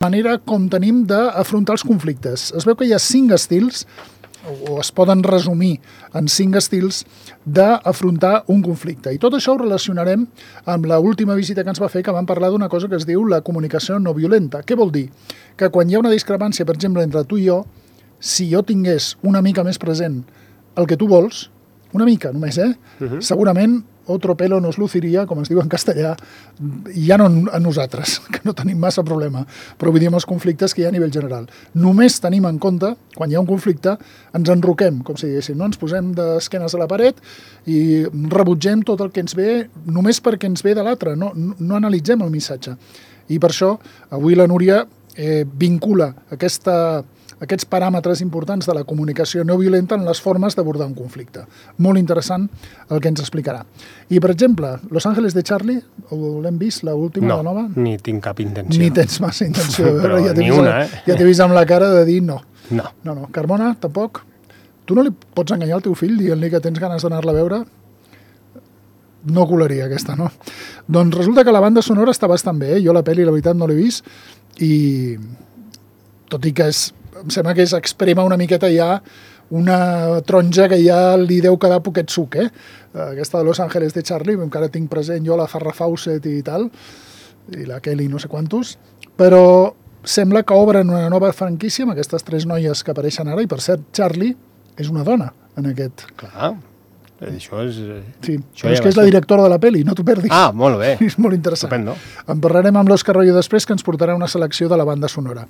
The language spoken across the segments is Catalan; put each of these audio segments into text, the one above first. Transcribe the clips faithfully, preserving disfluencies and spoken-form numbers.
manera com tenim d'afrontar els conflictes. Es veu que hi ha cinc estils, o es poden resumir en cinc estils, d'afrontar un conflicte. I tot això ho relacionarem amb l'última visita que ens va fer, que vam parlar d'una cosa que es diu la comunicació no violenta. Què vol dir? Que quan hi ha una discrepància, per exemple, entre tu i jo, si jo tingués una mica més present el que tu vols, una mica només, eh? Uh-huh. Segurament otro pelo nos luciria, com es diu en castellà, i ja no a nosaltres, que no tenim massa problema, però vull dir amb els conflictes que hi ha a nivell general. Només tenim en compte, quan hi ha un conflicte, ens enroquem, com si diguéssim, no? Ens posem d'esquenes a la paret i rebutgem tot el que ens ve, només perquè ens ve de l'altre, no, no analitzem el missatge. I per això, avui la Núria eh, vincula aquesta... aquests paràmetres importants de la comunicació no violenta en les formes d'abordar un conflicte. Molt interessant el que ens explicarà. I, per exemple, Los Ángeles de Charlie, l'hem vist, l'última, no, la nova? No, ni tinc cap intenció. Ni tens massa intenció. Però ja ni una, eh? Ja t'he vist amb la cara de dir no. No. No, no. Carmona, tampoc? Tu no li pots enganyar al teu fill dient-li que tens ganes d'anar-la a veure? No colaria aquesta, no? Doncs resulta que la banda sonora està bastant bé, eh? Jo la pel·li, la veritat, no l'he vist, i tot i que és em sembla que s'exprema una miqueta ja una taronja que ja li deu quedar poquet suc, eh? Aquesta de Los Ángeles de Charlie, encara tinc present jo la Farrah Fawcett i tal, i la Kelly no sé quantos, però sembla que obren una nova franquícia amb aquestes tres noies que apareixen ara, i per cert, Charlie és una dona en aquest... Clar, això és... Sí, això però ja és que és la directora de la pel·li, no t'ho perdis. Ah, molt bé. És molt interessant. Estupendo. En parlarem amb l'Òscar Royo després, que ens portarà una selecció de la banda sonora.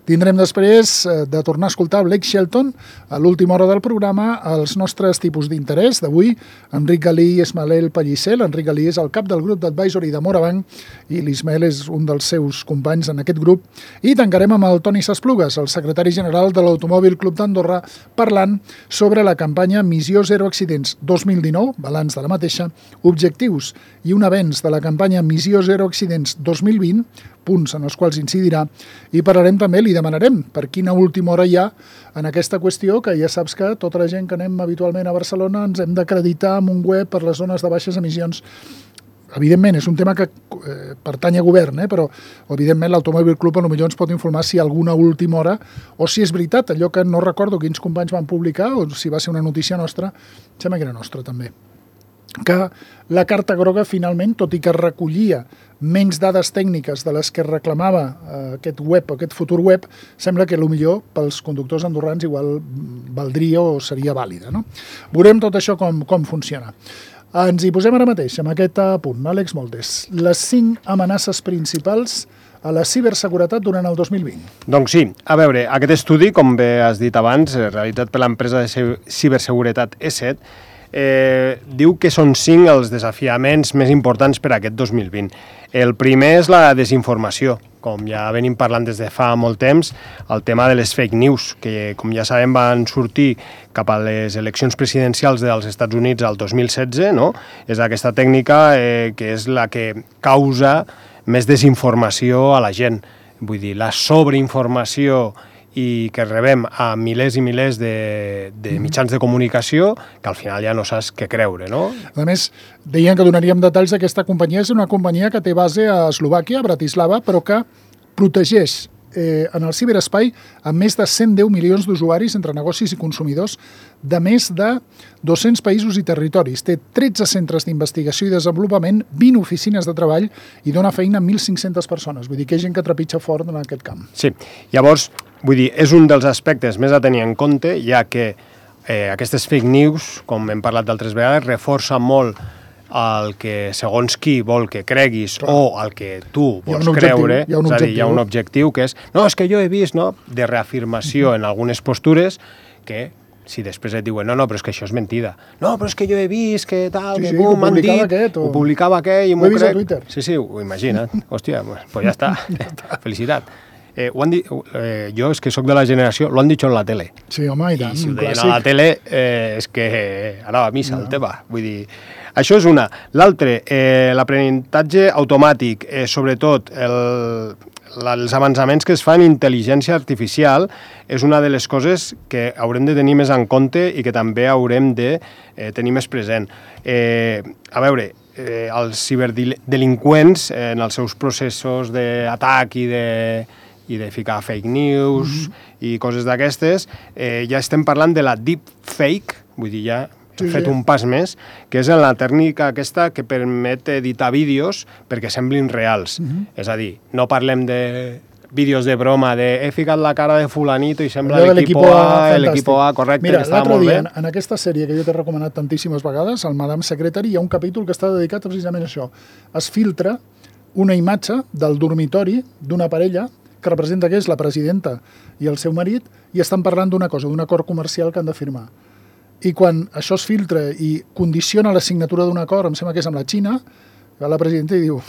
Tindrem després de tornar a escoltar Blake Shelton a l'última hora del programa, els nostres tipus d'interès d'avui, Enric Galí i Ismael Pellicer. L'Enric Galí és el cap del grup d'advisory de Morabanc i l'Ismael és un dels seus companys en aquest grup. I tancarem amb el Toni Sasplugues, el secretari general de l'Automòbil Club d'Andorra, parlant sobre la campanya Missió Zero Accidents dos mil dinou, balanç de la mateixa, objectius i un avenç de la campanya Missió Zero Accidents dos mil vint, punts en els quals incidirà, i parlarem també, li demanarem per quina última hora hi ha en aquesta qüestió, que ja saps que tota la gent que anem habitualment a Barcelona ens hem d'acreditar amb un web per les zones de baixes emissions. Evidentment, és un tema que eh, pertany a govern, eh, però evidentment l'Automòbil Club potser ens pot informar si alguna última hora, o si és veritat, allò que no recordo quins companys van publicar, o si va ser una notícia nostra, sembla que era nostra també, que la carta groga finalment, tot i que recollia menys dades tècniques de les que reclamava eh, aquest web, aquest futur web, sembla que potser pels conductors andorrans igual valdria o seria vàlida, no? Veurem tot això com, com funciona. Ens hi posem ara mateix, amb aquest punt. Àlex Moldes, les cinc amenaces principals a la ciberseguretat durant el dos mil vint. Doncs sí, a veure, aquest estudi, com bé has dit abans, realitzat per l'empresa de ciberseguretat E set, eh, diu que són cinc els desafiaments més importants per a aquest dos mil vint. El primer és la desinformació, com ja venim parlant des de fa molt temps, el tema de les fake news, que com ja sabem van sortir cap a les eleccions presidencials dels Estats Units al dos mil setze, no? És aquesta tècnica eh, que és la que causa més desinformació a la gent. Vull dir, la sobreinformació i que rebem a milers i milers de, de mitjans de comunicació que al final ja no saps què creure, no? A més, deien que donaríem detalls d'aquesta companyia. És una companyia que té base a Eslovàquia, a Bratislava, però que protegeix eh, en el ciberespai amb més de cent deu milions d'usuaris entre negocis i consumidors de més de dos-cents països i territoris. Té tretze centres d'investigació i desenvolupament, vint oficines de treball i dona feina a mil cinc-centes persones. Vull dir que hi ha gent que trepitja fort en aquest camp. Sí, llavors, vull dir, és un dels aspectes més a tenir en compte, ja que eh, aquestes fake news, com hem parlat d'altres vegades, reforça molt el que segons qui vol que creguis Clar. O el que tu vols creure, hi ha un és a dir, objectiu. hi ha un objectiu que és, no, és que jo he vist, no?, de reafirmació mm-hmm. en algunes postures que si després et diuen, no, no, però és que això és mentida. No, però és que jo he vist que tal, sí, que sí, bum, m'han dit, aquest, o... ho publicava aquell i m'ho crec. Ho he vist a Twitter. Sí, sí, ho imagina't. Hòstia, pues, pues ja està. ja està. Felicitat. Eh, ho han dit, eh, jo és que sóc de la generació, lo han dit en la tele. Sí, home, i tant, I si ho deien clàssic. a la tele, eh, és que anava a missa no. el tema. Vull dir, això és una. L'altre, eh, l'aprenentatge automàtic, eh, sobretot el, la, els avançaments que es fan en intel·ligència artificial, és una de les coses que haurem de tenir més en compte i que també haurem de eh, tenir més present. Eh, a veure, eh, els ciberdelinqüents, eh, en els seus processos d'atac i de i de ficar fake news mm-hmm. i coses d'aquestes, eh, ja estem parlant de la deepfake, vull dir, ja hem sí, fet sí. un pas més, que és la tècnica aquesta que permet editar vídeos perquè semblin reals. Mm-hmm. És a dir, no parlem de vídeos de broma, de he ficat la cara de fulanito i sembla l'equip A, l'equip A, correcte, Mira, que estava molt dia, bé. En aquesta sèrie que jo t'he recomanat tantíssimes vegades, el Madame Secretary, hi ha un capítol que està dedicat precisament a això. Es filtra una imatge del dormitori d'una parella que representa que és la presidenta i el seu marit i estan parlant d'una cosa, d'un acord comercial que han de firmar. I quan això es filtra i condiciona la signatura d'un acord, em sembla que és amb la Xina, va la presidenta i diu,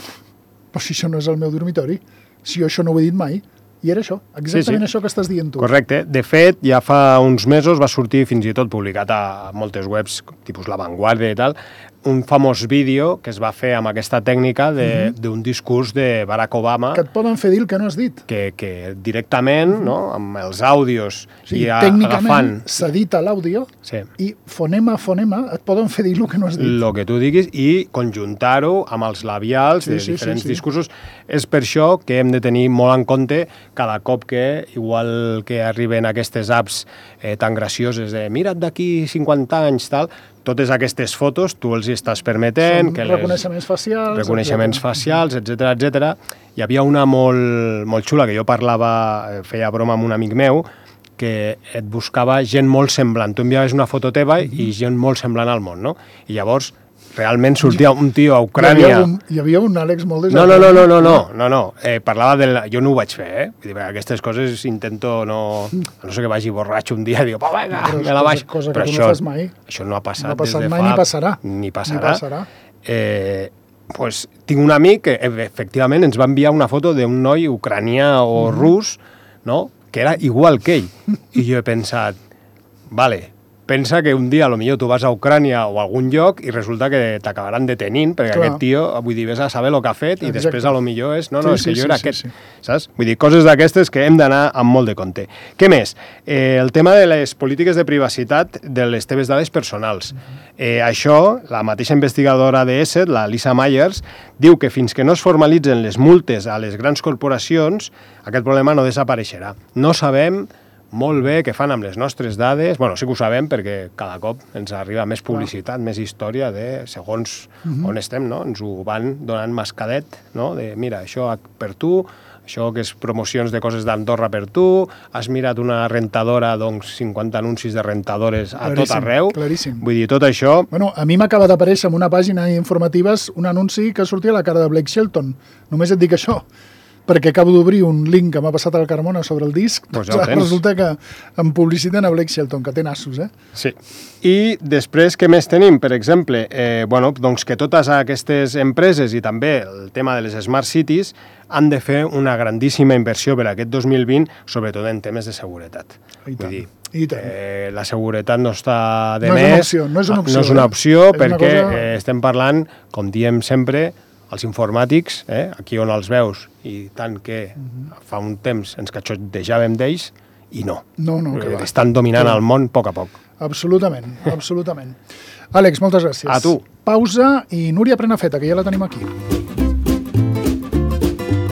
però si això no és el meu dormitori, si jo això no ho he dit mai, i era això, exactament sí, sí. això que estàs dient tu. Correcte. De fet, ja fa uns mesos va sortir fins i tot publicat a moltes webs, tipus La Vanguardia i tal, un famós vídeo que es va fer amb aquesta tècnica d'un mm-hmm. discurs de Barack Obama. Que et poden fer dir el que no has dit. Que, que directament, mm-hmm. no, amb els àudios sí, i a, tècnicament agafant... s'edita l'àudio sí. i fonema a fonema et poden fer dir el que no has dit. El que tu diguis i conjuntar-ho amb els labials sí, de sí, diferents sí, sí. discursos. És per això que hem de tenir molt en compte cada cop que, igual que arriben aquestes apps eh, tan gracioses de mira't d'aquí cinquanta anys, tal, totes aquestes fotos tu els hi estàs permetent... Són que reconeixements les, facials... Reconeixements etcètera. facials, etcètera, etcètera. Hi havia una molt, molt xula que jo parlava, feia broma amb un amic meu, que et buscava gent molt semblant. Tu enviaves una foto teva mm-hmm. i gent molt semblant al món, no? I llavors realment sortia un tio a Ucrània... Hi havia un, hi havia un Àlex molt no, no, no, no, no, no, no, no. Eh, parlava del... Jo no ho vaig fer, eh? Vull dir, aquestes coses intento no... No sé que vagi borratxo un dia i dic, oh, vinga, me la baix. Cosa però que això, no fas mai. Això no ha passat, no ha passat des de mai, fa... Ni passarà. Ni passarà. Ni passarà. Eh, pues, tinc un amic que efectivament ens va enviar una foto d'un noi ucranià o mm. rus, no?, que era igual que ell. I jo he pensat, vale, pensa que un dia potser tu vas a Ucrània o a algun lloc i resulta que t'acabaran detenint perquè Clar. aquest tio, vull dir, ves a saber el que ha fet i Exacte. després potser és, no, no, sí, és que sí, jo era sí, aquest, sí, sí. saps? Vull dir, coses d'aquestes que hem d'anar amb molt de compte. Què més? Eh, el tema de les polítiques de privacitat de les teves dades personals. Eh, això, la mateixa investigadora de ESET, la Lisa Myers, diu que fins que no es formalitzen les multes a les grans corporacions, aquest problema no desapareixerà. No sabem molt bé què fan amb les nostres dades. Bueno, sí que ho sabem perquè cada cop ens arriba més publicitat, més història de segons uh-huh. on estem, no? Ens ho van donant mascadet, no? De, mira, això per tu, això que és promocions de coses d'Andorra per tu, has mirat una rentadora, doncs cinquanta anuncis de rentadores a claríssim, tot arreu. Claríssim. Vull dir, tot això... Bueno, a mi m'acaba d'aparèixer en una pàgina informatives un anunci que sortia a la cara de Blake Shelton. Només et dic això. Perquè acabo d'obrir un link que m'ha passat al Carmona sobre el disc, pues ja resulta que em publiciten a Blake Shelton, que té nassos, eh? Sí. I després, què més tenim? Per exemple, eh, bueno, doncs que totes aquestes empreses i també el tema de les Smart Cities han de fer una grandíssima inversió per aquest dos mil vint, sobretot en temes de seguretat. I tant. Vull dir, I tant. Eh, la seguretat no està de no més. És no és una opció. No és una opció eh? perquè és cosa... eh, estem parlant, com diem sempre, els informàtics, eh, aquí on els veus, i tant que uh-huh. fa un temps ens catxotejàvem d'ells, i no. No, no, que va. Estan dominant el món a poc a poc. Absolutament, absolutament. Àlex, moltes gràcies. A tu. Pausa i Núria Prenafeta, que ja la tenim aquí.